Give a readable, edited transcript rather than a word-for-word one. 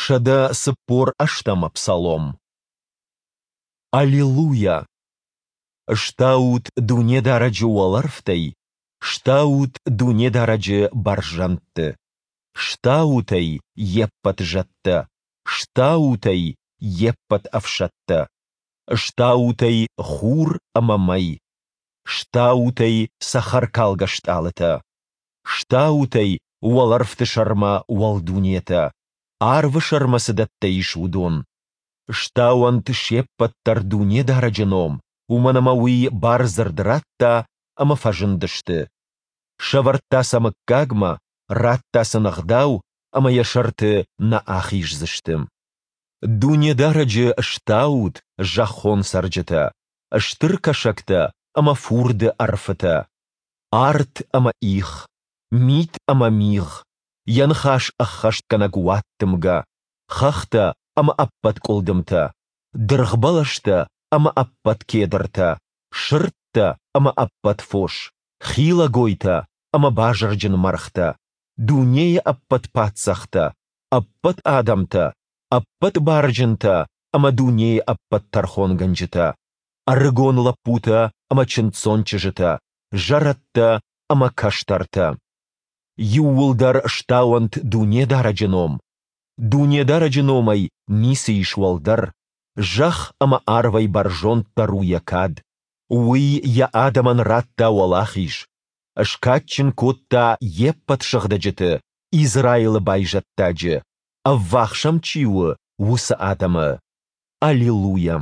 148-ӕм псалом. Аллилуйа! Стаут Дунедарӕджы уӕлӕрвтӕй, стаут Дунедарӕджы бӕрзӕндты. Стаут ӕй, йе ппӕт зӕдтӕ, стаут ӕй, йе ппӕт ӕфсӕдтӕ. Стаут ӕй, хур ӕмӕ мӕй. Стаут ӕй, цӕхӕркалгӕ стъалытӕ. Стаут ӕй, уӕлӕрвты сӕрмӕ уӕлдунетӕ, арвы сӕрмӕ цы дӕттӕ ис, уыдон. Стауӕнт се ппӕт дӕр Дунедарӕджы ном, уымӕн ӕмӕ Уый бардзырд радта, ӕмӕ фӕзындысты. Сӕвӕрдта сӕ мыггагмӕ, радта сын ӕгъдау, ӕмӕ йӕ сӕрты нӕ ахиздзысты. Дунедарӕджы стаут, зӕххон цӕрджытӕ, стыр кӕсӕгтӕ ӕмӕ фурды ӕрфытӕ, арт ӕмӕ их, мит ӕмӕ мигъ, йӕ ныхас ӕххӕстгӕнӕг уаддымгӕ, хӕхтӕ ӕмӕ ӕппӕт къуылдымтӕ, дыргъбӕлӕстӕ ӕмӕ ӕппӕт кедртӕ, сырдтӕ ӕмӕ ӕппӕт фос, хилӕгойтӕ ӕмӕ базырджын мӕргътӕ, дунейы ӕппӕт паддзӕхтӕ, ӕппӕт адӕмтӕ, ӕппӕт барджынтӕ ӕмӕ дунейы ӕппӕт тӕрхонгӕнджытӕ, ӕрыгон лӕппутӕ ӕмӕ чындздзон чызджытӕ, зӕрӕдтӕ ӕмӕ кӕстӕртӕ. Иууылдӕр стауӕнт Дунедарӕджы ном. Дунедарӕджы номӕй ницы ис уӕлдӕр, зӕхх ӕмӕ арвӕй бӕрзонддӕр у йӕ кад. Уый йӕ адӕмӕн радта уӕлахиз, скадджын кодта йе ппӕт сыгъдӕджыты, Израилы байзӕддаджы, ӕввахс ӕм чи у, уыцы адӕмы. Аллилуйа!